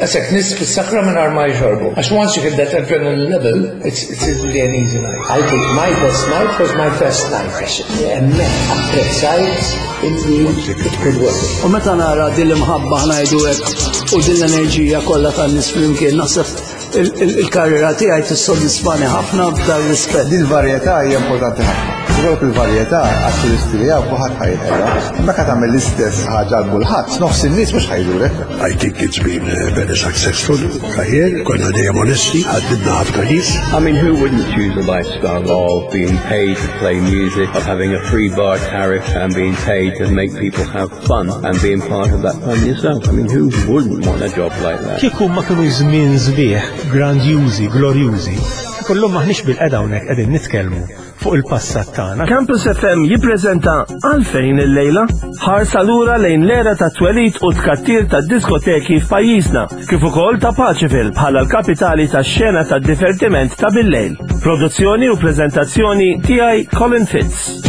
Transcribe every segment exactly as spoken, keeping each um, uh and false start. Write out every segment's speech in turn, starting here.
Għasek nies fis-sakra minn ma jxorbu. Għax once you hit that adrenaline level, it's, it's really an easy night. I think my best night was my first night. Għax hemmhekk apprezzajt illi it could work. U meta nara din l-imħabba ħa ngħidu hekk u din l-enerġija kollha tan-nies flimkien naħseb il-karriera tiegħi tissodisfani ħafna f'dan rispett. Din il-varjetà hija importanti ħafna. Ikollok il-varjetà għat-turisti li hawn kulħadd ħa jinħela. Meta tagħmel l-istess ħaġa għal kulħadd, nofs in-nies mhux ħa jżurek. I think it's been a very successful career. Konna dejjem onesti, ħaddidna ħafna nies. I mean, who wouldn't choose a lifestyle of being paid to play music, of having a free bar tariff and being paid to make people have fun and being part of that fun yourself? I mean, who wouldn't want a job like that? Kieku ma kienu żmien sbieħ, grandjużi, glorjużi, kullum maħniex bilqiegħda hawnhekk qegħdin nitkellmu fuq il-passat tagħna. Campus F M jippreżenta Għalfejn il-lejla, ħarsa lura lejn l-era ta' twelid u tkattir ta' diskoteki f'pajjiżna, kif ukoll ta' Paceville bħala l-kapitali ta' xena ta' divertiment ta' bil-lejl. Produzzjoni u preżentazzjoni tiegħi, Colin Fitz.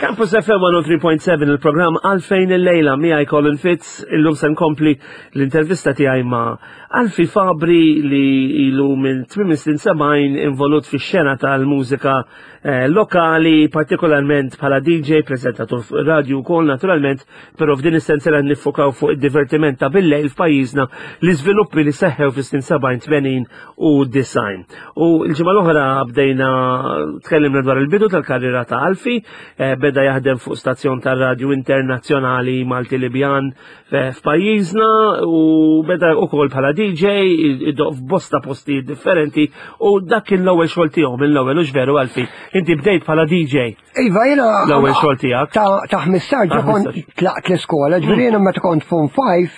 Campus F M mija u tlieta punt seba', il-programm Għalfejn il-lejla, miegħi Colin Fitz. Illum se nkompli l-intervista tiegħi ma' Alfie Fabri li ilu minn tmiem snin sebgħin involut fi xena tal-mużika eh, lokali, partikolarment bħala D J, prezentatur fuq radio wkoll naturalment, però f'din is-sensiela niffokaw fuq id-divertiment ta' bil-lejl f'pajjiżna, l-iżviluppi li seħħew fis-snin sebgħin, tmenin u disgħin. U l-ġimgħa l-oħra bdejna tkellimna dwar il-bidu tal-karriera ta' Alfie, eh, beda jaħdem fuq stazzjon tar-radju internazzjonali Malti Libjan eh, f'pajjiżna u beda ukoll bħala D J iddoqq f'bosta postijiet differenti u dak kien l-ewwel xogħol tiegħu mill-ewwel, u veru Alfie, inti bdejt bħala D J Iva, jiena. l-ewwel xogħol tiegħek. Ta' ta' ħmistax Ta' kont ħmistax. tlaqt l-iskola, ġifieri jiena meta kont Form five,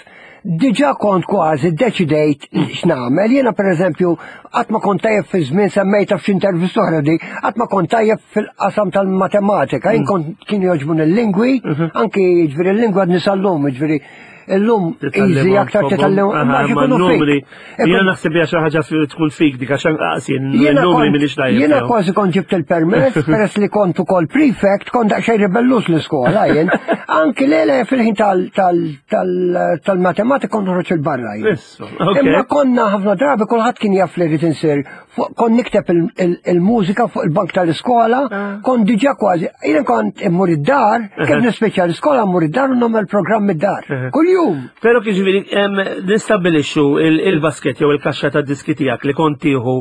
diġà kont kważi deċidejt x'nagħmel. Jiena, pereżempju, qatt ma kont tajjeb fi żmien, semmejta f'xi intervista oħra di, qatt ma kont tajjeb fil-qasam tal-matematika. Jien kont kien jogħġbuni l-lingwi, anki ġifieri l-lingwa għadni sal-lum, ġifieri illum easy aktar titgħallem. Ma Ma ikunu numri. fik. Jiena naħseb hija xi ħaġa fi- tkun fik dik, għax anqas jien Jiena numri kont- m'iniex tajjeb Jiena fihom. kważi kont ġibt il-permess, peress li kont ukoll prefect, kont daqsxejn ribellus l-iskola jien. Anki lele fil-ħin tal- tal- tal- tal-matematika kont noħroġ il-barra jien. Issu, ok. Imma konna ħafna drabi kulħadd kien jaf li rrid insir, fuq- kont nikteb il- il- il-mużika fuq il-bank tal-iskola, kont diġà kważi, jiena kont immur id-dar, kif nispiċċa l-iskola mmur id-dar u nagħmel programm id-dar. Kuljum. Però kif ġifieri em, nistabbilixxu il- il-basket jew il-kaxxa ta' diski tiegħek li kont tieħu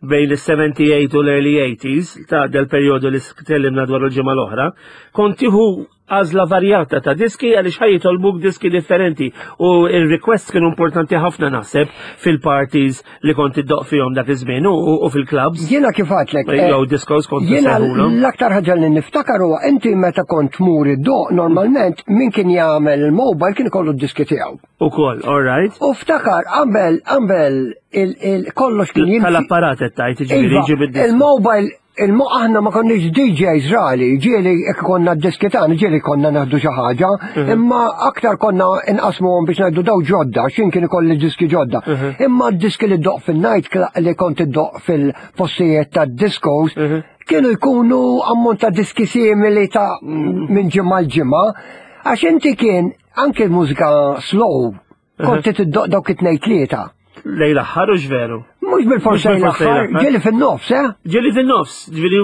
bejn is-sebgħa u tmenin u l-early eighties, ta' del perjodu li tkellimna dwar il-ġimgħa l-oħra, kont tieħu għażla varjata ta' diski għaliex ħa jitolbuk diski differenti u il-request kienu importanti ħafna naħseb fil-parties li kont iddoqq fihom dak iż-żmien u, u fil-clubs. Jiena kif għedtlek. eh, Jew discos kont Jiena issejħulhom. l-aktar ħaġa li niftakar huwa inti meta kont tmur iddoqq, normalment min kien jagħmel il-mobile kien ikollu d-diski tiegħu. Ukoll, all right. U ftakar qabel qabel il- il- kollox kien jimxi. Tal-apparat qed tgħid, jiġifieri Iva, jġib id-diski. il-mobile, il-mo aħna ma konniex D Js rali, ġieli jekk konna d-diski tagħna, ġieli konna naħdu xi ħaġa, imma aktar konna inqasmuhom biex ngħidu daw ġodda, x'in kien ikolli diski ġodda. Imma d-diski li ddoqq fil-night li kont iddoqq fil-postijiet tad-discos kienu jkunu ammont ta' diski simili ta' minn ġimgħa l-ġimgħa, għax inti kien anke l-mużika slow kont tiddoqq dawk it-tnejn tlieta. Lejn l-aħħar, u veru. Mhux bil-forsa Mhux bil-forsa l-aħħar, l-aħħar. ġieli fin-nofs, eh? Ġieli fin-nofs, ġieli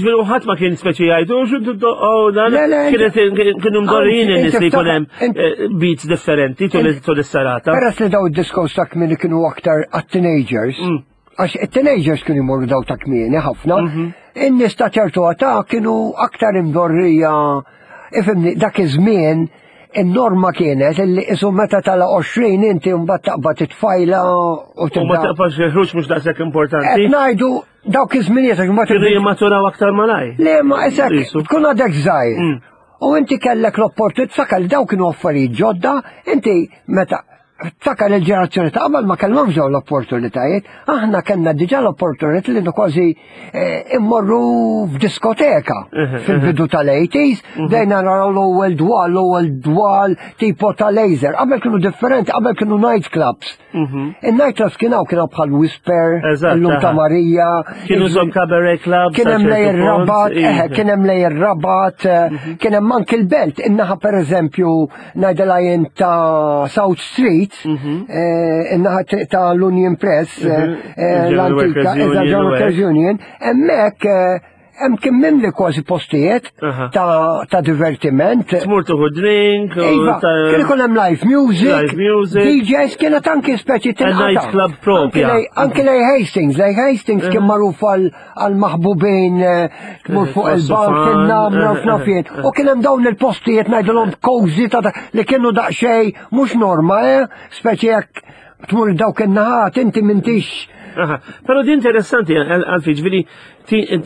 ġieli uħat ma kien speċi jgħidu, xu oh, dan, Le, le, kienet kienu mdorrijin Anzi, in-nies li inti jkun hemm ftakar- eh, beats differenti tul tul is-serata. Peress li daw id-discos ta' kmieni kienu aktar għat-teenagers, Mm. għax it-teenagers kienu jmorru daw ta' kmieni ħafna, Mhm. in-nies ta' ċertu età kienu aktar imdorrija, ifhimni, dak iż-żmien in-norma kienet illi isu meta tala għoxrin inti mbagħad taqbad it-tfajla u U ma tibda. taqbax il-ħruġ mhux daqshekk importanti. Qed ngħidu dawk iż-żminijiet għax ma Kienu tibdil- jimmaturaw aktar malaj. Le, ma isek, Isu. tkun għadek żgħir. Mm. U inti kellek l-opportunità, tiftakar li daw kienu affarijiet ġodda, inti meta Ftakar il-ġenerazzjoni ta' qabel ma kellhomx dawn l-opportunitajiet, aħna kellna diġà l-opportunità li kważi eh, immorru f'diskoteka fil-bidu tal-eighties, bdejna naraw l-ewwel dwal, l-ewwel dwal tipo ta' laser. Qabel kienu differenti, qabel kienu night clubs. Il-night clubs kienu kienu bħal Whisper, Eżatt, illum ta' aha. Marija. Kienu żom cabaret clubs. Kien hemm sa lej ċertu ir-Rabat, punt, eħe, iva. kien hemm lej ir-Rabat, eh, kien hemm anki l-Belt, in-naħa pereżempju ngħidilha jien ta' South Street, eh, in-naħa t- ta' l-Union Press, eh, eh, Il-General l-antika, Workers eżatt, Union General u Workers hekk. Union, hemmhekk eh, hemm kien mimli kważi postijiet Aha. ta' ta' divertiment. Tmur tuħu drink. u Iva, ta' kien ikun hemm live music, Live music. D Js, kienet anki speċi tinqata'. night club propja. Anki lej- Anki lej Hastings, lej Hastings kien magħruf għal għal maħbubin eh, tmur fuq Tħossu il-bank, fun, in-namra eh, f'nafien. U kien hemm dawn il-postijiet ngħidulhom cozy ta' ta' li kienu daqsxejn mhux norma, eh? Speċi jekk tmur dawk in-naħat inti m'intix. Aha. Però di interessanti, għalfi, ġifieri,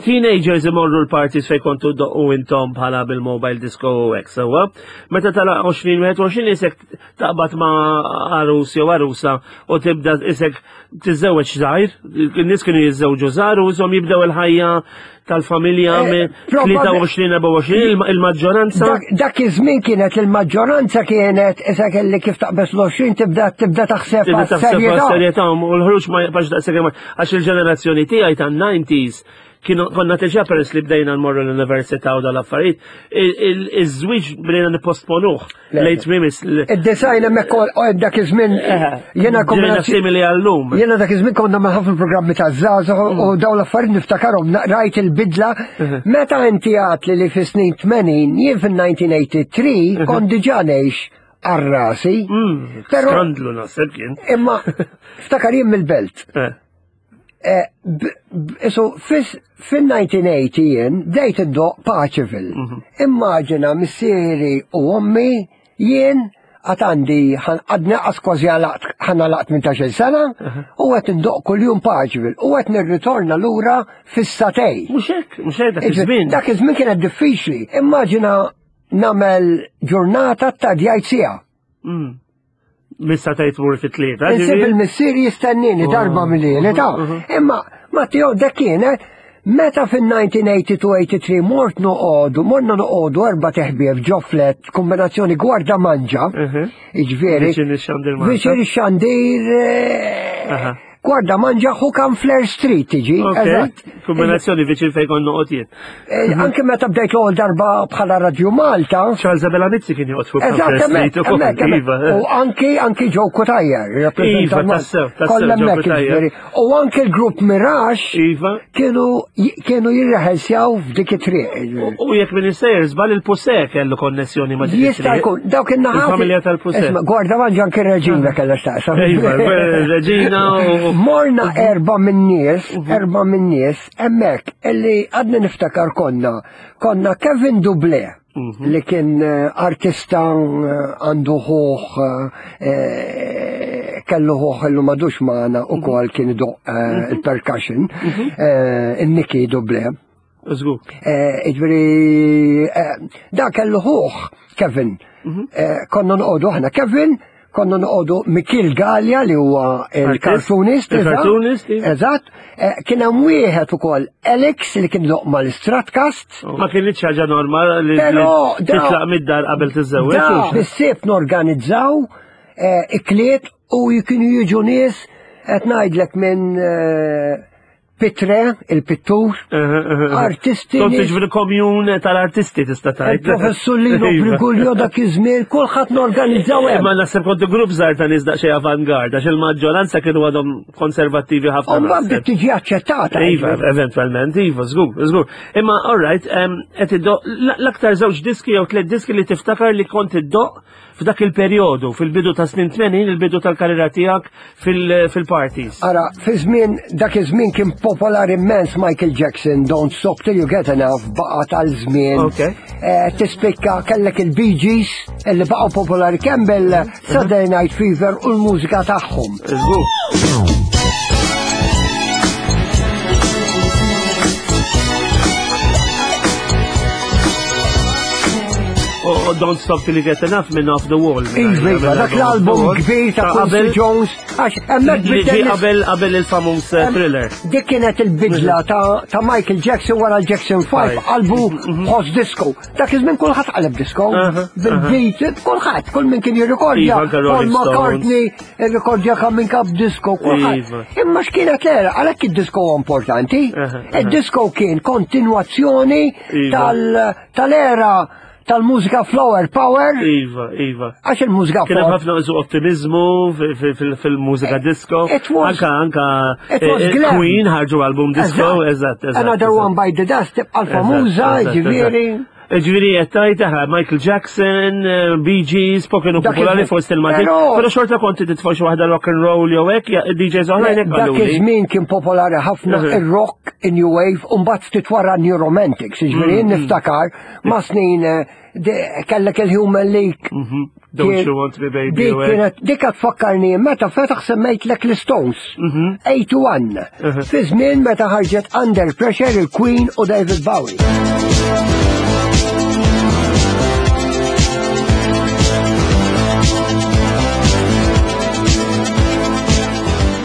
teenagers imorru l-parties fej kontu doqqu intom bħala bil-mobile disco u hekk, sewwa. Meta tala għoxrin, wieħed u għoxrin isek taqbad ma' għarus jew għarusa u tibda isek tiżżewweġ żgħir, in-nies kienu jiżżewġu żgħar u isom jibdew il-ħajja tal-familja Eh, minn probabli- tlieta u għoxrin, erbgħa u għoxrin, il- il-maġġoranza. Dak, dak iż-żmien kienet il-maġġoranza kienet issa kelli kif taqbes l-għoxrin tibda tibda taħseb Tibda taħseb għas-serjetà. għas-serjetà u l-ħruġ ma jibqax daqshekk hemm, għax il-ġenerazzjoni tiegħi tan-nineties kienu konna diġà, peress li bdejna nmorru l-università u dal-affarijiet, iż-żwieġ bdejna nipposponuh late mimis. Id-design hemmhekk u dak iż-żmien jiena Ġejna kombinazzjoni simili għallum. Jiena dak iż-żmien konna ma' ħafna programmi ta' żgħażagħ u dawn l-affarijiet niftakarhom, na- rajt il-bidla meta inti għat li li fis-snin tmenin, jien fil-elf disa' mija tmienja u tmenin kont diġà ngħix għal rasi. Però Skandlu naħseb kien. Imma ftakar jien mill-Belt. Eh. Eh, b- b- Isu, fil-elf disa' mija tmenin jien bdejt iddoq Paceville. Immaġina missieri u ommi, jien għad għandi għadni għas kważi għalaqt ħanna laqt tmintax-il sena u qed indoq kuljum Paceville u qed nirritorna lura fis-sagħtejn. Mhux hekk, mhux hekk dak iż-żmien. Dak iż-żmien kienet diffiċli. Immaġina nagħmel ġurnata ta' djajt siegħa. Mm. Missa tgħid tmur fit-tlieta. Insib ġifieri? il-missier jistennini darba mill ta' imma Matteo dak kienet meta fil-elf disa' mija tnejn u tmenin tmienja u tmenin mort noqogħdu, morna noqogħdu erba' teħbieb ġo flat, kombinazzjoni Gwarda Manġa, iġifieri. Viċin ix-Xandir Malta. Viċin ix-Xandir, eh, Aha. Gwarda Manġa, Hukan Flair Street tiġi, Ok, eżatt. Kombinazzjoni viċin fejn kont noqgħod jien. Eh, Anke meta bdejt l-ewwel darba bħala Radio Malta, Charles Abela Mizzi kien joqgħod fuq Eżatt, Flair hemmhekk, Street ukoll, hemmhekk, hemmhekk. Iva. U anki anki Joe Cutajar, Iva, tassew, tassew, Kollha Joe hemmhekk, Cutajar. jiġifieri. U anki l-grupp Mirage Iva. kienu kienu jirreħelsjaw f'dik it-triq. U u jekk minn sejjer żball, il-Puse kellu konnessjoni ma' dik Jista' it-triq. jkun, dawk in-naħat. Il-familja tal-Puse. Isma', Gwarda Manġa anki Reġina kellha x'taqsam. Iva, Reġina u Morna erba minn nies, erba minn nies, hemmhekk, illi għadni niftakar konna, konna Kevin Duble, li kien eh, artista, eh, għandu ħuħ, eh, kellu ħuħ illu madux maħna u kol kien idoq eh, il-percussion, eh, il-Niki Duble. Żgur. Eh, Iġveri, eh, da kellu ħuħ, Kevin. Eh, Konna noqogħdu aħna Kevin, konna noqogħdu Mikil Gallia li huwa il-cartoonist. Il-cartoonist, iva. Eżatt. Eh, Kien hemm wieħed ukoll Alex li kien doq mal-Stratcast. Ma kienx ħaġa normali li Però li da- titlaq mid-dar qabel tiżżewweġ. Da, hux? bis-sif norganizzaw eh, ikliet u kienu jiġu nies qed ngħidlek minn eh, Pitre, il-pittur, artisti. Kont nies- tiġri komjun tal-artisti tista' tgħid. Il-professur Lino Iva. Briguglio dak iż-żmien, kulħadd norganizzaw hemm. Imma naħseb kontu grupp żgħar ta' nies daqsxejn avantgard, għax il-maġġoranza kienu għadhom konservattivi ħafna. U mbagħad naħseb. bdiet tiġi aċċettata. Iva, eventualment, iva, żgur, żgur. Imma, all right, em, qed iddoq l-aktar żewġ diski jew tliet diski li tiftakar li kont iddoq f'dak il-perjodu, fil-bidu ta' snin tmenin, il-bidu tal-karriera tiegħek fil-parties. Ara, fi żmien dak iż-żmien kien popolari immens Michael Jackson, Don't Stop Till You Get Enough, baqa' tal-żmien. Ok. Eh, tispikka kellek il-Bee Gees illi baqgħu popolari kemm bil-Saturday Night Fever u l-mużika tagħhom. Żgur. U Don't Stop Till You Get Enough minn Off the Wall. Iva, iva, dak l-album kbir ta' Quincy Jones, għax hemmhekk Li ġie bidel qabel qabel il-famuż eh, Thriller. Dik kienet il-bidla ta' ta' Michael Jackson wara l-Jackson five, qalbu ħoss disco. Dak iż-żmien kulħadd qaleb disco. Aha, Bil-beat, kulħadd, kull min kien jirrikordja. Iva, anke Paul Rolling Stones. McCartney, irrikordja kam minn kap disco, kulħadd. Iva. Imma x'kienet l-era, għalhekk id-disco huwa importanti. Aha, aha. Id-disco kien kontinwazzjoni Iva. tal- tal-era tal-mużika flower power, Iva, iva. għax il-mużika Kien hemm flower ħafna isu ottimizmu fi- fi- fil- fil-mużika disco. It was- Anka anka it was eh, eh, glam. Queen ħarġu album disco, eżatt, eżatt. Another eżatt. One Bite the Dust tibqa' l-famuża, Eżatt, eżatt, ġifieri. eżatt. Ġifieri qed tgħid aħna Michael Jackson, eh, Bee Gees, pop kienu Dak popolari iż-żmien. fost il-Maltin, Però- però xorta konti titfa' xi waħda rock and roll jew hekk, ja- D Js oħrajn hekk Dak qaluli. iż-żmien kien popolari ħafna Mhm. ir-rock, in-new wave, u mbagħad ftit wara new romantics, ġifieri Mm, jien niftakar ma' snin eh, de- kellek il-Human League. Mhm. Don't Kien- You Want Me Baby Dik jew hekk. kienet, dik qed tfakkarni meta fetaħ semmejtlek l-Stones. Mhm. eighty-one. Fi żmien meta ħarġet Under Pressure il-Queen u David Bowie.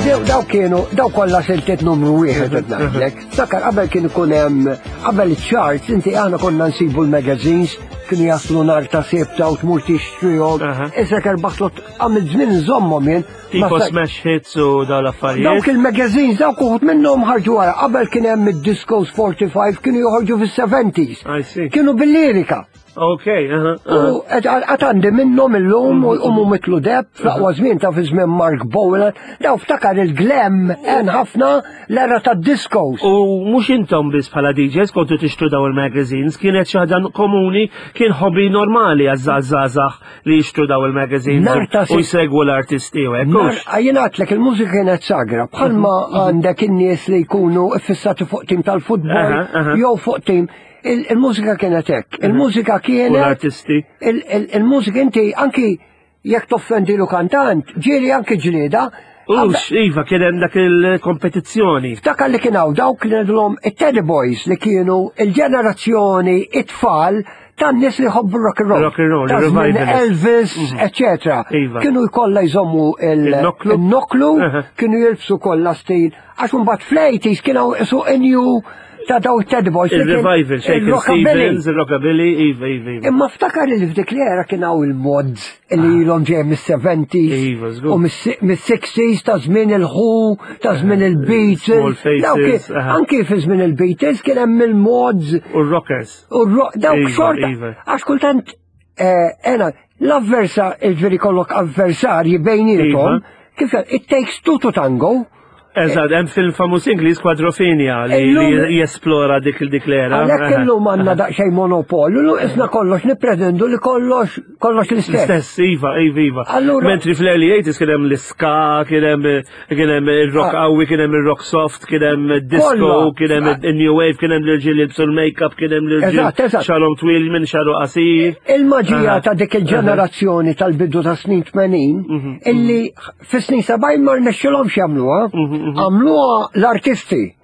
Daw daw kienu, daw kollha siltiet numru wieħed qed ngħidlek. Sakar qabel kien ikun hemm qabel iċ-charts, inti aħna konna nsibu l-magazines, kienu jaslu nar ta' sebta u tmur tixtrihom. Aha. Issa kerbaħtlot għamil żmien nżommhom jien. Tipo Ma sa- smash hits u dawn l-affarijiet. Dawk il-magazines, dawk uħud minnhom ħarġu wara. Qabel kien hemm id-Discos forty-five kienu joħorġu fis-seventies. I see. Kienu bil-lirika. Ok, aha, aha. U għad għandi minnhom illum u jqumu mitlu deb fl-aqwa żmien ta' fi żmien Mark Bowen. Daw ftakar il-glam hemm ħafna l-era tad-discos. U mhux intom biss bħala D Js kontu tixtru daw il-magazines, kienet xi ħaġa komuni, kien hobby normali għaż-żgħażagħ li jixtru daw il-magazines Nar ta' u jsegwu l-artisti u hekk. Nar, hux? jien għedtlek il-mużika kienet sagra, bħalma għandek in-nies li jkunu fissati fuq tim tal-futbol Aha, aha. jew fuq tim. Il- Il-mużika kienet hekk. Il-mużika U kienet l-artisti. il- il- Il-mużika inti anki jekk toffendi lu kantant, ġieli anki ġlieda. Ux, iva, kien hemm dak il-kompetizzjoni. Ftakar li kien hawn dawk li ngħidulhom it-Teddy Boys li kienu il-ġenerazzjoni it-tfal tan-nies li jħobbu rock and roll. Rock and roll, Ta' żmien revivalists. Elvis, eccetera. Iva. Kienu jkollha jżommu il- Il-noklu. il-noklu, Aha. kienu jilbsu kollha stil. Għax mbagħad fl-eighties kien hawn isu new ta' daw it-Teddy Boys li kien Il-revival, Shakin' il-rockabilly. Stevens, il-rockabilly, iva, iva, iva. Imma ftakar li f'dik l-era kien hawn il-mods li ilhom ġej mis-seventies Iva, żgur. u mis-sixties ta' żmien il-Who, ta' żmien il-Beatles. Small Faces, Dawk kien- aha. Anki fi żmien il-Beatles kien hemm il-mods U r-rockers. u r- dawk Iva, xorta. iva. Għax kultant eh, ena, l-avversa, il-ġifieri kollok avversarji bejniethom, Iva. kif it takes two to tango. Eżatt, hemm film famuż Ingliż Quadrophenia li Illum- li jesplora dik dik l-era. Għalhekk illum għandna daqsxejn monopolju, illum isna kollox nippretendu li kollox kollox l-istess. L-istess, iva, iva, iva. Allura- Mentri fl-early eighties kien hemm l-ska, kien hemm kien hemm il-rock Ah. qawwi, kien hemm il-rock soft, kien hemm disco, Kollha. kien hemm il-new wave, kien hemm l-irġiel jilbsu l-makeup, kien hemm l-irġiel Eżatt, eżatt. xagħarhom twil minn xagħru qasir. Il-maġija Aha. ta' dik il-ġenerazzjoni tal-bidu ta' snin tmenin, Mhm, illi fis snin sebgħin ma rnexxilhomx jagħmluha, Mhm, għamluha l-artisti.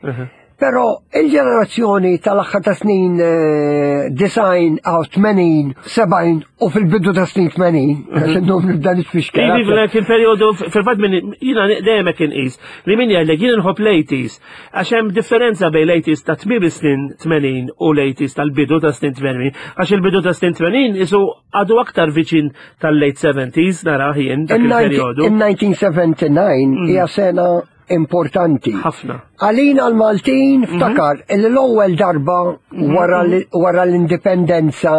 Però il-ġenerazzjoni tal-aħħar ta' snin eh, disgħin għaw tmenin, sebgħin u fil-bidu ta' snin tmenin, għax illum nibda nitfixkel. Iva, kien periodu, fil-fatt minn, jina dejjem hekk inqis, li min jgħidlek jien nħobb l-eighties, għax hemm differenza bejn l-eighties ta' tmiem is-snin tmenin u l-eighties tal-bidu ta' snin tmenin, għax il-bidu ta' snin tmenin isu għadu aktar viċin tal-late seventies, nara jien dak il-periodu. In-nineteen seventy-nine hija sena importanti. Ħafna. Għalina l-Maltin ftakar illi l-ewwel darba wara l- wara l-indipendenza,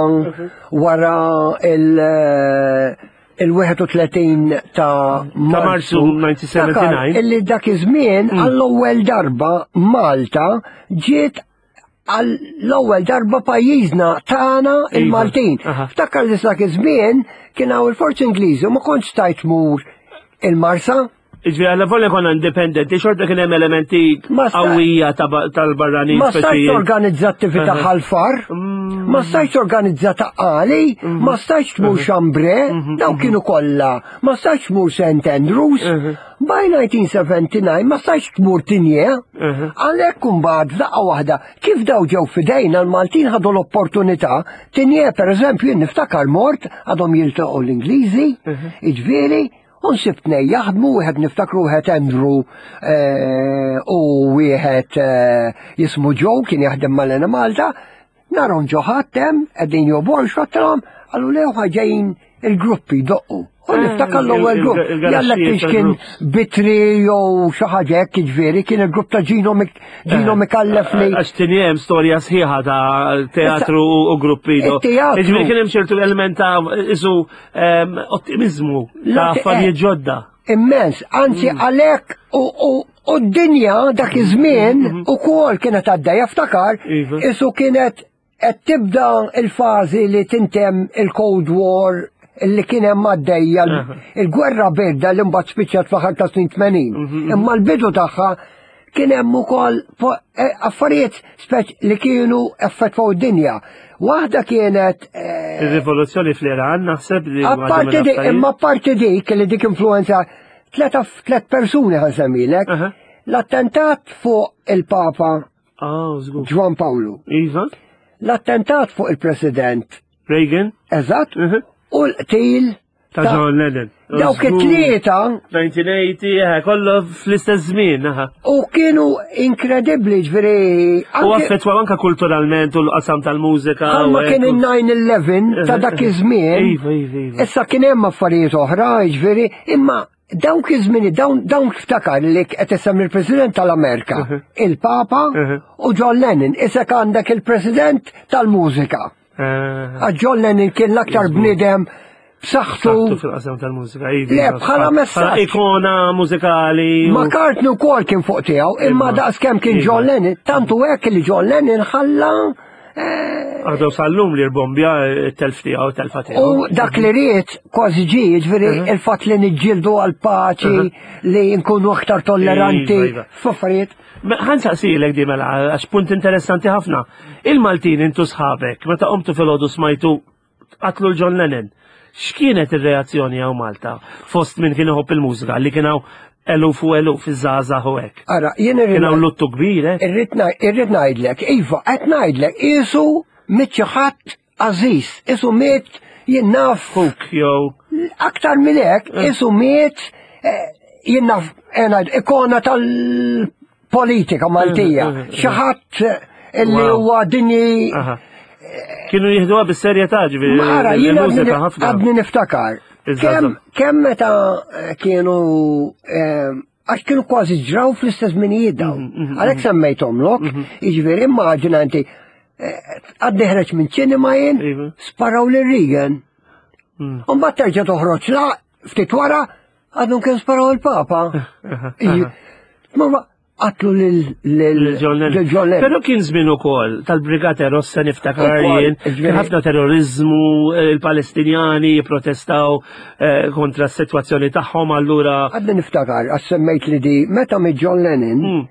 wara il- il-wieħed u tletin ta' Marzu nineteen seventy-nine. Ftakar illi dak iż-żmien għall-ewwel darba Malta ġiet għall-ewwel darba pajjiżna tagħna il-Maltin. Aha. Ftakar li dak iż-żmien kien hawn il-forzi Ingliżi u ma kontx stajt tmur il-Marsa. Ġifieri għalla volja konna indipendenti, xorta kien hemm elementi Ma sta- qawwija ta' ba- tal-barranin. Ma stajtx speċi- organizza attività Ħal Far, ma stajtx organizza Ta' Qali, ma stajtx tmur Chambray, daw kienu kollha, ma stajtx tmur Saint Andrews. By nineteen seventy-nine ma stajtx tmur Tigné. Għalhekk imbagħad f'daqqa waħda kif daw ġew fidejna, l-Maltin ħadu l-opportunità. Tigné, per eżempju, jien niftakar mort għadhom jiltaqgħu l-Ingliżi, iġifieri, u nsib tnej jaħdmu, wieħed niftakru, wieħed Andrew eh, u wieħed eh, jismu Joe, kien jaħdem mal-Enemalta, narahom ġo ħadd hemm, qegħdin joborxu, għedtilhom, qallu le, ġejjin il-gruppi jdoqqu. U niftakar l-ewwel il- grupp, il- jallek il-garaxxijiet kienx kien tal-groups. Bitri jew xi ħaġa hekk, jiġifieri kien il-grupp ta' Gino Mik- Gino Mikallef li Għax Tigné hemm storja sħiħa ta' teatru u gruppi. do. Il-teatru. Ġifieri kien hemm ċertu element ta' isu em, ottimizmu ta' La- affarijiet eh. ġodda. Immens, anzi għalek u, u, u d-dinja dak iż-żmien ukoll kienet għaddejja, ftakar, Iva. isu kienet qed tibda il-fażi li tintem il-Cold War li kien hemm għaddejja, il-gwerra birda li mbagħad spiċċat fl-aħħar ta' snin tmenin. Imma l-bidu tagħha kien hemm ukoll po- eh, affarijiet speċ li kienu effettwaw id-dinja. Waħda kienet eh, Il-rivoluzzjoni fl-Iran, naħseb li waħda Apparti dik, mill-affarijiet. imma apparti dik li dik influenza tlet tlet persuni ħa nsemmilek. Aha. L-attentat fuq il-Papa Ah, żgur. Ġwan Pawlu, Iva, l-attentat fuq il-President Reagan, eżatt, Mhm. u l-qtil ta' John Lennon. Dawk Żgur. it-tlieta elf disa' mija u tmenin, eh, kollu fl-istess żmien, aha. u kienu inkredibbli, ġifieri. U anke- affettwaw anka kulturalment u l-qasam tal-mużika. Bħalma u kien hekk. il-nine eleven ta' dak iż-żmien. Iva, iva, iva. Issa kien hemm affarijiet oħra, jiġifieri, imma dawk iż-żmien, dawn dawn ftakar li qed issemmi il-President tal-Amerika, il-Papa Mhm. u John Lennon. Issa għandek il-President tal-mużika. Eh, Għax John Lennon kien l-aktar bniedem Saħtu b'saħħtu. fil-qasam tal-mużika, iva. Le, iva. bħala messaġġ. Bħala ikona mużikali. u- McCartney wkoll kien fuq tiegħu, imma Imma. daqskemm kien Iva. John Lennon, tantu hekk li John Lennon ħalla Għadu sal-lum li rbombja it-telf tiegħu, telfa tiegħu. U dak li ried kważi ġie, ġifieri il-fatt li niġġieldu għal-paċi, li nkunu aktar tolleranti, Iva, iva. f'affarijiet. Ħa nsaqsilek di mela, għax punt interessanti ħafna. Il-Maltin, intu sħabek, meta qomtu filgħodu smajtu qatlu l-John Lennon. X'kienet ir-reazzjoni hawn Malta fost min kien iħobb il-mużika li kien hawn eluf u eluf iż-żgħażagħ u hekk? Ara, jien Kien hawn irrid luttu kbir, eh? irrid ngħid- irrid ngħidlek, iva, qed ngħidlek, isu miet xi ħadd għażiż, isu miet jien naf Huk jew aktar minn hekk, isu miet eh, jien naf eh, ngħid, ikona tal-politika Maltija, xi ħadd illi Wow. huwa dinji. Aha. Kienu jieħduha bis-serjetà, ġifieri. Mara, jiena il-mużika għadni ħafna. għadni niftakar. Iż-żgħażagħ. Kemm kemm meta eh, kienu eh, għax kienu kważi ġraw fl-istess żminijiet dawn. Mhm, Għalhekk semmejthomlok, jiġifieri immaġina inti eh, għadni ħreġ minn ċinema jien, Iva. sparaw lil Reagan. Mm. U mbagħad terġa' toħroġ la ftit wara għadhom kien sparaw il-Papa. Ma qatlu lil lil John Lennon. lil John Lennon. Però kien żmien ukoll tal-Brigata Rossa, niftakar Ukoll, jien, ġifieri- kien ħafna terrorizmu, eh, il-Palestinjani jipprotestaw eh, kontra s-sitwazzjoni tagħhom, allura Għadni niftakar, għax semmejt li di, meta miet John Lennon, Mm.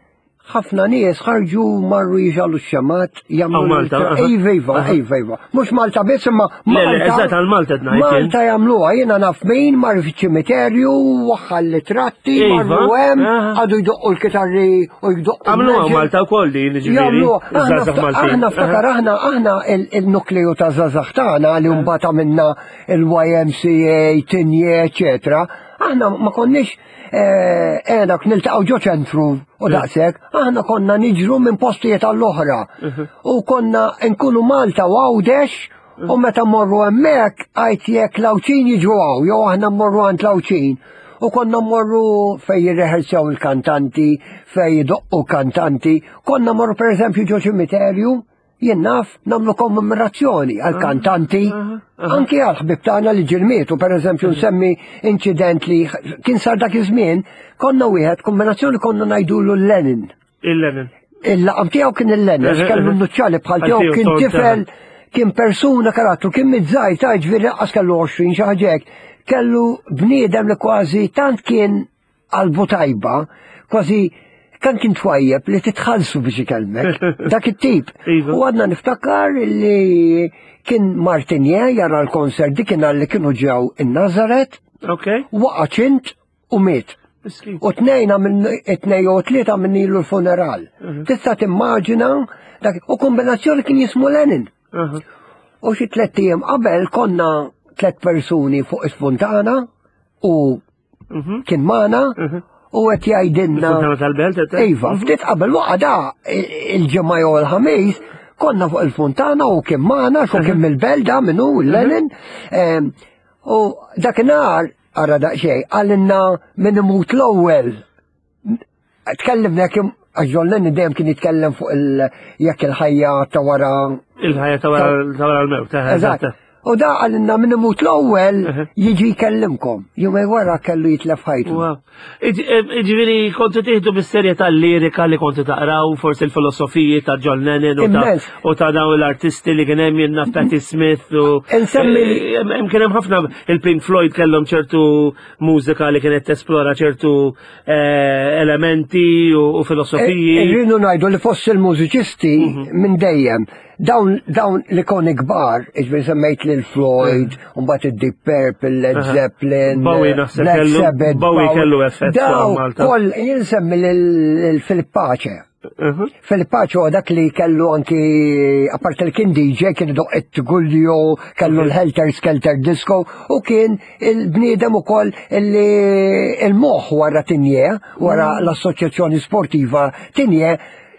ħafna nies ħarġu marru jixgħelu x-xemgħat, jagħmlu. Hawn Malta, aha. Iva, iva, iva, iva. Mhux Malta biss, imma Le, le, Malta. eżatt, għal Malta qed ngħid jien. Malta jagħmluha, jiena naf min mar fiċ-ċimiterju, waħħal litratti, Iva, marru hemm, aha. għadu jdoqqu l-kitarri u jdoqqu. Għamluha l-meġel. Malta wkoll din, ġifieri. Jagħmluha. Aħna iż-żgħażagħ fta- Maltin. Aħna ftakar, aħna aħna il- il-nukleu ta' żgħażagħ tagħna li mbagħad għamilna il-Y M C A, Tigné, eċetera. Aħna ma konniex għenak niltaqgħu ġo ċentru u daqshekk, aħna konna niġru minn postijiet għall-oħra. U konna nkunu Malta u Għawdex u meta morru hemmhekk għajt jekk l-Għawdxin jiġu hawn, jew aħna mmorru għand l-Għawdxin. U konna morru fej jirreħelsew il-kantanti, fej jidoqqu kantanti. Konna morru per eżempju ġo ċimiterju, jien naf nagħmlu kommemorazzjoni għal kantanti, anki għal ħbib tagħna li ġirmietu, per eżempju nsemmi incident li kien sar dak iż-żmien, konna wieħed kombinazzjoni konna ngħidulu Lenin. Il-Lennon. Il-laqam tiegħu kien il-Lenin, għax kellu n-nuċċali bħal tiegħu, kien tifel, kien persuna karattru, kien miż-żgħir ta' ġifieri lanqas kellu għoxrin xi ħaġa hekk. Kellu bniedem li kważi tant kien qalbu tajba, kważi kan kien twajjeb li titħallsu biex ikellmek, dak it-tip. Iva. U għadna niftakar li kien Martinje jara l-konsert dik kien li kienu ġew in-Nazaret, Ok. waqa' ċint u miet. Miskin. U tnejn minn tnejn u tlieta minn ilu l-funeral. Tista' timmaġina dak u kombinazzjoni kien jismu Lenin. Aha. U xi tliet ijiem qabel konna tliet persuni fuq is-Fontana u Mhm. kien magħna u qed jgħidilna. Il-Fontana tal-Belt, qed tgħid? Iva, ftit qabel waqa da il-ġimgħa jew il-ħamis konna fuq il-Fontana u kien magħna xu kien mill-Belt da minnu Lenin. Em, U dakinhar ara daqsxejn qalilna min imut l-ewwel. Tkellimna kemm għax John Lennon dejjem kien jitkellem fuq il jekk il-ħajja ta' wara Il-ħajja ta' wara ta' wara l-mewt. eh, Eżatt. eżatt. U da qalilna min imut l-ewwel Mhm. jiġi jkellimkom. Jumej wara kellu jitlef ħajtu. Wow. Ġifieri, kontu tieħdu bis-serjetà l-lirika li kontu taqraw, forsi l-filosofiji ta' John Lennon u ta' Immens. u ta' dawn l-artisti li kien hemm jien naf Patti Smith u Insemmi- Eh, hemm hemm kien hemm ħafna il-Pink Floyd kellhom ċertu mużika li kienet tesplora ċertu eh, elementi u u filosofiji. Irridu ngħidu li fost il-mużiċisti Mhm. minn dejjem dawn dawn l-ikoni kbar, iġbir semmejt lil Floyd, mbagħad id-Deep Purple, Led Aha. Zeppelin, Bowie naħseb Black kellu- Sabbath, Bowie kellu effett fuq Daw Malta. koll jien nsemmi lil Philip Pace. Mhm. Philip Pace huwa dak li kellu anki, apart li kien D J, kien idoq it-Tgullio, kellu l-Helter Skelter Disco, u kien il-bniedem ukoll illi il-moħ wara Tinje, wara l-Assoċjazzjoni Sportiva Tinje.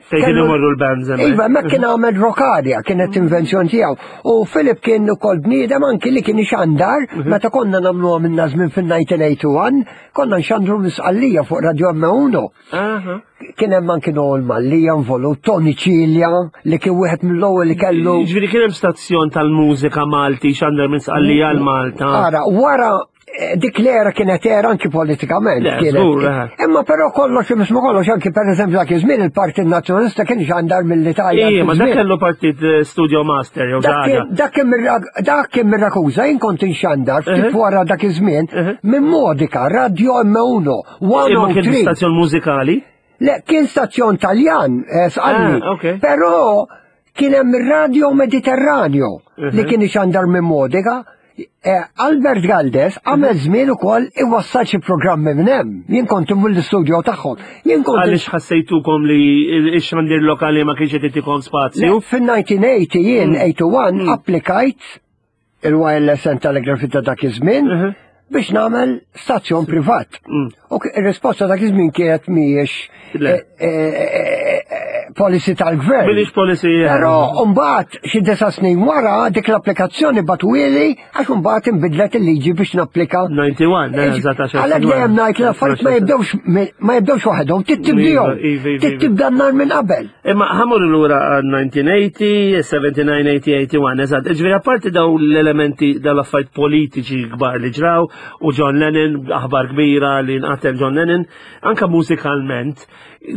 Fejn kienu Kellu- imorru l-bands hemmhekk. Iva, ma kien għamel Rockaria, kienet invenzjoni tiegħu. U Philip kien ukoll bniedem anki li kien ixandar, meta konna nagħmluha minna żmien fil-elf disa' mija u wieħed u disgħin, konna nxandru misqallija fuq Radio M uno. Aha. Kien hemm anki Noel Mallia involut, Tony Cilia, li kien wieħed mill-ewwel li kellu. Ġifieri kien hemm stazzjon tal-mużika Malti xandar minn Sqallija għal Malta. Ara, wara eh, dik l-era kienet era anki politikament. Le, kienet. żgur, eh. Imma però kollox, misma kollox, anki per eżempju dak iż-żmien il-Partit Nazzjonalista kien xandar mill-Italja. Ija, ma dak żmien. kellu partit eh, Studio Master jew Dak ħaġa. kien- Dak kien mir- dak kien mir-Rakusa, jien kont inxandar ftit Mhm. wara dak iż-żmien Mhm. minn Modica, Radio M uno, Imma kien mija u tlieta. stazzjon mużikali. Le, kien stazzjon Taljan, eh, sqalli. Ah, ok. Però kien hemm ir-Radio Mediterraneo li Mhm. kien ixandar minn Modica. Eh, Albert Galdes għamel żmien ukoll iwassal xi programmi minn hemm. Jien kont immur l-istudio tagħhom. Jien kont Għaliex ħassejtukom li x-xandir lokali ma kienx qed jagħtikom spazju? Le, Fin-elf disa' mija u tmenin jien Mm. wieħed u tmenin applikajt il-Wireless and Telegraphy ta' dak iż-żmien Mhm. biex nagħmel stazzjon privat. Mm. U k- ir-risposta dak iż-żmien kienet mhijiex Le. eh, eh, eh, policy tal-gvern. Mhijiex policy. Però mbagħad xi disa' snin wara dik l-applikazzjoni bagħtuhieli għax mbagħad inbidlet il-liġi biex napplika. disgħa u disgħin, eh, eżatt, għaxar Għalhekk snin dejjem wara. ngħid l-affarijiet ma jibdewx ma jibdewx waħedhom, trid tibdihom. Iva, iva, iva, Trid iva. tibda n-nar minn qabel. Imma ħa mmorru lura għal elf disa' mija u tmenin, sebgħa u sebgħin, tmenin, wieħed u tmenin, eżatt. Ġifieri apparti daw l-elementi dal-affarijiet politiċi kbar li ġraw u John Lennon, aħbar kbira li nqatel John Lennon, anka mużikalment,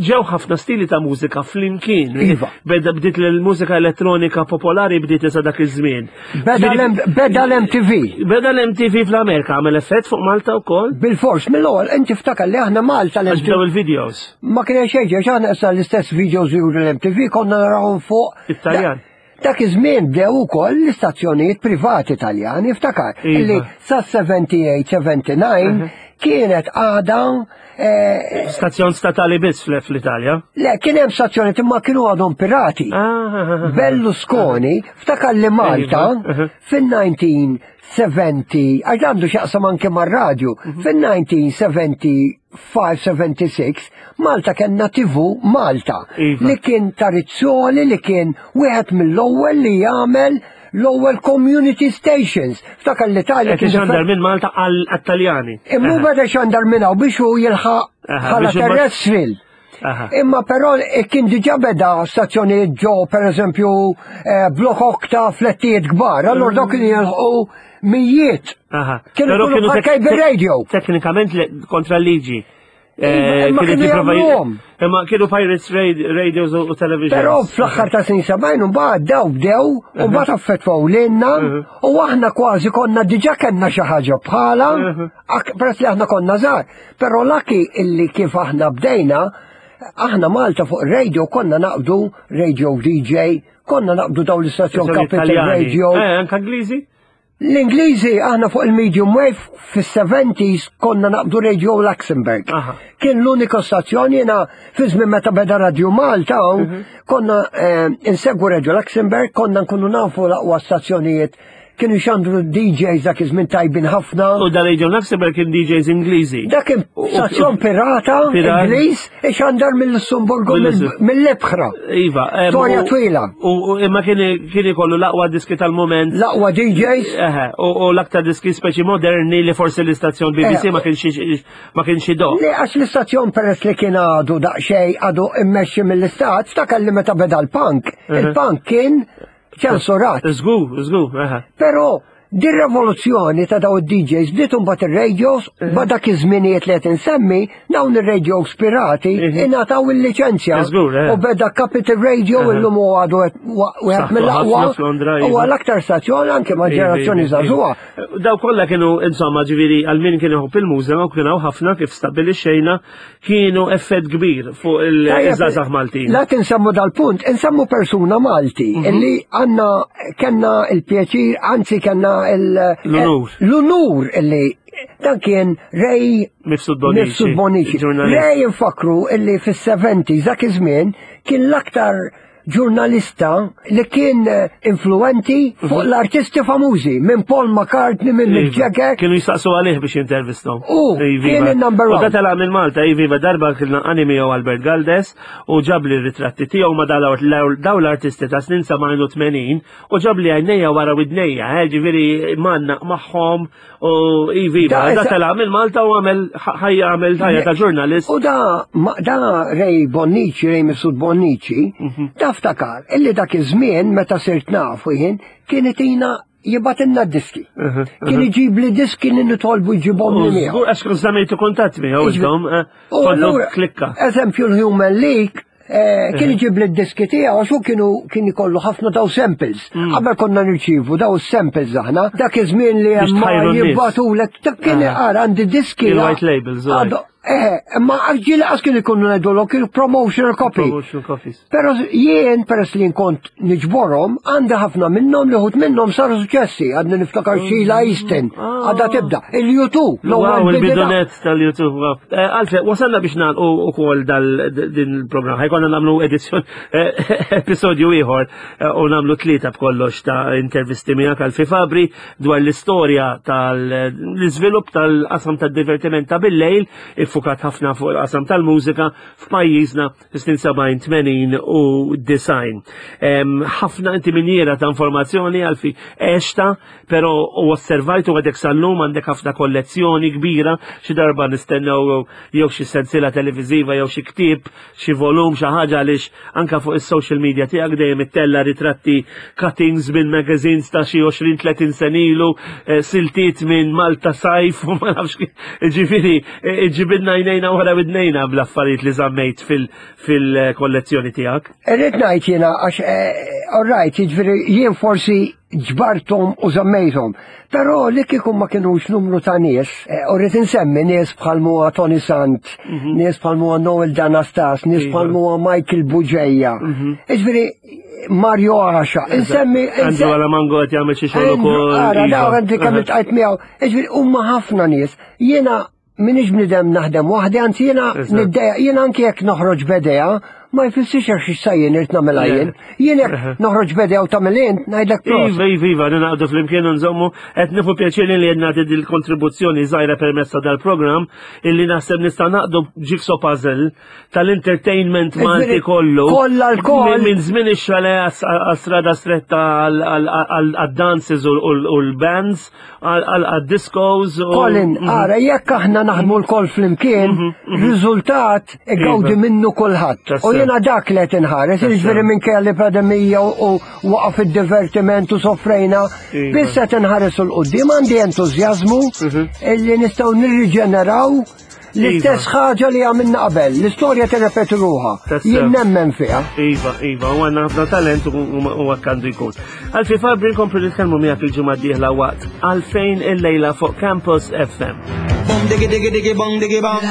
ġew ħafna stili ta' mużika flimkien. Iva. Beda bdiet l-mużika elettronika popolari bdiet isa dak iż-żmien. Beda Ġifieri- l- Beda l-M T V. Beda l-M T V fl-Amerika għamel effett fuq Malta wkoll? Bil-fors, mill-ewwel inti ftakar li aħna Malta Għax bdew l-M T V il-videos. Ma kien xejn, għax aħna issa l-istess videos juru l-M T V konna narawhom fuq. Italjan. Dak iż-żmien bdew ukoll l-istazzjonijiet privati Taljani, ftakar, Iva. illi sa sebgħa u sebgħin, sebgħa u disgħin kienet għada eh, Stazzjon statali biss fl- fl-Italja. Le, kien hemm stazzjonijiet imma kienu għadhom pirati. Ah, Berlusconi, ftakar li Malta Iva, fin-elf disa' mija u sebgħin, għax għandu x'jaqsam anke mar-radju, fin-elf disa' mija u sebgħa u ħamsa, sebgħa u sittin, Malta kellna T V Malta Iva. li kien ta' Rizzoli li kien wieħed mill-ewwel li jagħmel l-ewwel community stations. Ftakar l-Italja Qed kien ixandar minn Malta għall-Taljani. Immu beda xandar minn hawn biex hu jilħaq Aha, bħala biex imbagħad- terrestrial. Aha. Imma però eh, kien diġà beda stazzjonijiet ġo, per eżempju, eh, blok okta flettijiet kbar, allora dawk kienu jilħqu mijiet. Aha. Kienu Però kienu bħal tek- cable tek- radio. Teknikament le- kontra l-liġi. Eh, Imma kienet kienu jipprova- jagħmluhom. Imma kienu pirates radios u television. Però fl-aħħar ta' snin sebgħin mbagħad daw bdew u mbagħad affettwaw lilna u aħna kważi konna diġà kellna xi ħaġa bħala, ak- peress li aħna konna żgħar. Però lucky illi kif aħna bdejna, aħna Malta fuq radio konna naqbdu radio D J, konna naqbdu daw l-istazzjon Capital Radio. Eh, anka Ingliżi? L-Ingliżi, aħna fuq il-medium wave fis-seventies konna naqbdu Radio Luxembourg. Aha. Kien l-unika stazzjon. Jiena fi żmien meta beda Radio Malta Mhm. konna eh, insegwu Radio Luxembourg, konna nkunu nafu l-aqwa stazzjonijiet, kienu xandru D Js dak iż-żmien tajbin ħafna. U da Radio Luxembourg kien D Js Ingliżi. Dak kien stazzjon pirata Pirat. Ingliż ixandar mill-Lussemburgu, Mill-Lussem- mill-Ibħra. Iva. em, Storja u- twila. U u- imma kien kien ikollu l-aqwa diski tal-moment. L-aqwa D Js. Eħe, u u l-aktar diski speċi moderni li forsi l-istazzjon B B C Eh, ma kienx ma kienx idoqq. Li għax l-istazzjon, peress li kien għadu daqxej għadu immexxi mill-istat, ftakar li meta beda l-punk, il-punk kien ċensurat. Żgur, żgur, eħe. Però din rivoluzzjoni ta' daw id-D Js bdiet mbagħad ir-radios, ba dak iż-żminijiet li qed insemmi, dawn ir-radios pirati ingħataw il-liċenzja. Żgur, eh. U beda Capital Radio, illum hu għadu wieħed Saħħtu mill-aqwa. ħafna f'Londra, iva. Huwa l-aktar stazzjon anke ma' ġenerazzjoni Iva, iva, żagħżugħa. iva. Daw kollha kienu, insomma, ġifieri għal min kien iħobb il-mużika, u kienu ħafna kif stabbilixxejna, kienu effett kbir fuq il-żgħażagħ Maltin. La tinsemmu dal-punt, insemmu persuna Malti Mhm. illi għanna kenna il-pjaċir, anzi kenna il- L-unur. L-unur illi dan kien Ray Mifsud Bonici. Mifsud Bonici. Ġurnalist. Ray infakru illi fis-seventies dak iż-żmien kien l-aktar ġurnalista li kien eh, influenti fuq l-artisti famużi, minn Paul McCartney, minn Mick Mhm. Iva. Jagger. Kienu jistaqsu għalih biex jintervistom. U, kien il-number U one. da telaq minn Malta, iva, darba kien animi jew Albert Galdes u ġabli ritratti tiegħu ma daw l-artisti ta' snin sebgħin u tmenin u ġabli għajnejja wara widnejja, eh, ġifieri manna magħhom u iva, Da, da esa- telaq minn Malta u għamel ħajja għamel ħajja ta' ġurnalist. U da, ma, da Ray Bonnici, Ray Mifsud Bonnici, Mhm. da ftakar, illi dak iż-żmien meta sirt nafu jien, kien itina jibgħatilna diski. Kien iġib li diski li nitolbu jġibhom li miegħu. Żgur, għax kun żammejtu kuntatt miegħu intom, eh, U kontu allura, klikka. eżempju l-Human League, eh, kien iġib li d-diski tiegħu għax hu kienu kien ikollu ħafna daw samples. Mm. Qabel konna nirċievu daw samples aħna, dak iż-żmien li Biex hemm tħajru n-nies. jibbatulek, dak kien Ah. ara għandi diski. Il-white labels, u Għadu- Eh, ma ġieli qas kienu jkunu ngħidulhom, kienu promotional copy. Promotional copies. Pero jien, peress li kont niġborhom, għandi ħafna minnhom li wħud minnhom saru suċessi, għadni niftakar Sheila Easton, għadha tibda, il-U two, Wow, l-ewwel bidina. il-bidu net tal-U two. Wow. Eh, Alfred, wasalna biex nagħlqu ukoll dal din il-programm. Ħa jkollna nagħmlu edizzjon, eh, episodju ieħor eh, u nagħmlu tlieta b'kollox ta' intervisti miegħek Alfie Fabri dwar l-istorja tal-iżvilupp tal-qasam tad-divertiment ta' bil-lejl, iffukat ħafna fuq il-qasam tal-mużika f'pajjiżna snin sebgħin, tmenin u disgħin. Em, Ħafna inti minjera ta' informazzjoni, Alfie, għexta, pero u osservajtu għadek sal-lum għandek ħafna kollezzjoni kbira, xi darba nistennew jew xi sensiela televiżiva jew xi ktieb, xi volum, xi ħaġa, għaliex anka fuq is-social media tiegħek dejjem ittella ritratti, cuttings minn magazines ta' xi għoxrin tletin senilu, eh, siltiet minn Malta Sajf u ma nafx kif, ġifieri eh, ġibidna għajnejna wara widnejna bl-affarijiet li żammejt fil-kollezzjoni tiegħek. Irrid ngħid jiena għax eh, all right, jiġifieri jien forsi ġbartom u żammejthom. Però li kieku ma kienux numru ta' nies, eh, u rrid insemmi nies bħal huwa Tony Sant, nies bħal huwa Noel Danastas, nies Iva. bħal huwa Michael Buġeja. Jiġifieri Mario Għaxa, insemmi Andrew Alamango qed jagħmel xi xogħol ukoll. Ara, iva. daw għandi kemm iltqajt miegħu. Jiġifieri huma ħafna nies. Jiena minix bnidem naħdem waħdi, anzi jiena Eżatt. niddeja, jiena anke jekk noħroġ b'idea, ma jfissirx għax issa jien irid nagħmilha jien. Jien jekk noħroġ b'idea u tagħmel int, ngħidlek prosit. Iva, iva, iva, ninaqdu flimkien u nżommu, qed nieħu pjaċir li qed nagħti dil-kontribuzzjoni żgħira permezz ta' dal-programm illi naħseb nista' naqdu jigsaw puzzle tal-entertainment Malti Ġifieri, kollu. kollha l-koll. Minn minn żmien ix-xale għas-strada stretta għal-dances u l-bands, għal-discos. Colin, Mhm. ara, jekk aħna naħdmu lkoll flimkien, riżultat igawdi Iva. minnu kulħadd. Tassew. U jiena dak li qed inħares, jiġifieri minkejja li pandemija u waqaf id-divertiment u soffrejna, Iva. biss qed inħares 'l quddiem, għandi entużjażmu illi nistgħu nirriġeneraw L-istess ħaġa li għamilna qabel, l-istorja tirrepeti ruħha. Tassew. Jien nemmen fiha. Iva, iva, u għandna ħafna talent u u hekk għandu jkun. Alfie Fabri, nkomplu nitkellmu miegħek il-ġimgħa d-dieħla waqt Għalfejn il-lejla fuq Campus F M. Bong diggy diggy diggy bong diggy bong.